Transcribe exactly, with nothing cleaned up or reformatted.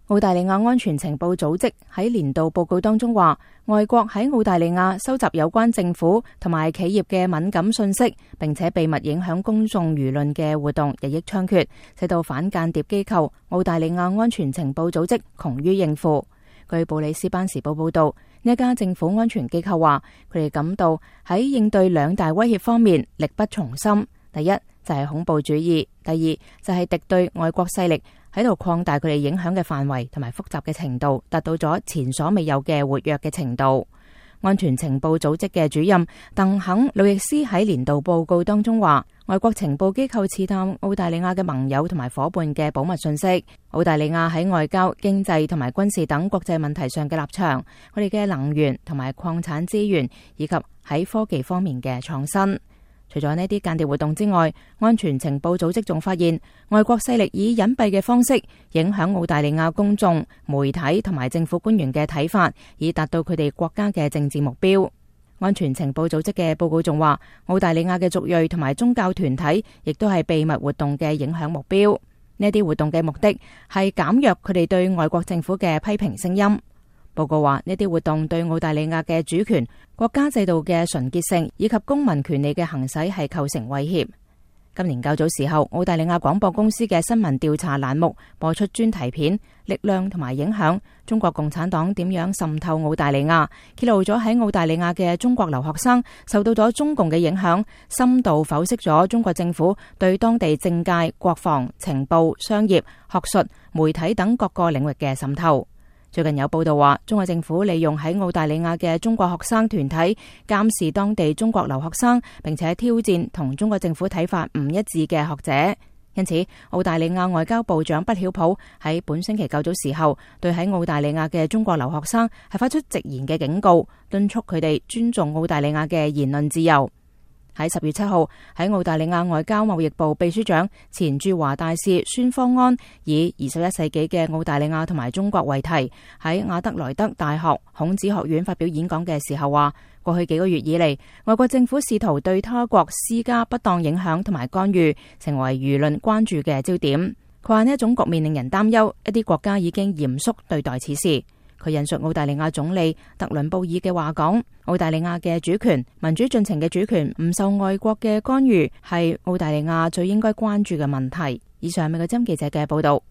澳大利亞安全情報組織喺年度報告當中話，外國喺澳大利亞收集有關政府同埋企業嘅敏感信息，並且秘密影響公眾輿論嘅活動日益猖獗，使到反間諜機構澳大利亞安全情報組織窮於應付。據布里斯班時報報道，呢一家政府安全機構話，佢哋感到喺應對兩大威脅方面力不從心。第一就係恐怖主義，第二就係敵對外國勢力喺度擴大佢哋影響嘅範圍同埋複雜嘅程度，達到咗前所未有嘅活躍嘅程度。安全情報組織嘅主任鄧肯路易斯喺年度報告當中話，外國情報機構刺探澳大利亞嘅盟友同埋夥伴嘅保密信息，澳大利亞喺外交、經濟同埋軍事等國際問題上嘅立場，佢哋嘅能源同埋礦產資源，以及喺科技方面嘅創新。除咗呢啲間諜活動之外，安全情報組織仲發現外國勢力以隱蔽嘅方式影響澳大利亞公眾、媒體同埋政府官員嘅睇法，以達到佢哋國家嘅政治目標。安全情報組織嘅報告仲話，澳大利亞嘅族裔同埋宗教團體亦都係秘密活動嘅影響目標。呢啲活動嘅目的係減弱佢哋對外國政府嘅批評聲音。報告話，呢啲活動對澳大利亞嘅主權、國家制度嘅純潔性以及公民權利嘅行使係構成威脅。今年較早時候，澳大利亞廣播公司嘅新聞調查欄目播出專題片《力量同埋影響》，中國共產黨點樣滲透澳大利亞，揭露咗喺澳大利亞嘅中國留學生受到咗中共嘅影響，深度剖析咗中國政府對當地政界、國防、情報、商業、學術、媒體等各個領域嘅滲透。最近有報道話，中國政府利用喺澳大利亞嘅中國學生團體監視當地中國留學生，並且挑戰同中國政府睇法唔一致嘅學者。因此，澳大利亞外交部長畢曉普喺本星期較早時候，對喺澳大利亞嘅中國留學生係發出直言嘅警告，敦促佢哋尊重澳大利亞嘅言論自由。喺十月七號，喺澳大利亞外交貿易部秘書長、前駐華大使孫方安以二十一世紀嘅澳大利亞同埋中國為題，喺亞德萊德大學孔子學院發表演講嘅時候話，過去幾個月以嚟，外國政府試圖對他國施加不當影響同埋干預，成為輿論關注嘅焦點。佢話呢一種局面令人擔憂，一啲國家已經嚴肅對待此事。佢引述澳大利亞總理特倫布爾嘅話講，澳大利亞嘅主權、民主進程嘅主權唔受外國嘅干預，係澳大利亞最應該關注嘅問題。以上係美國之音記者嘅報道。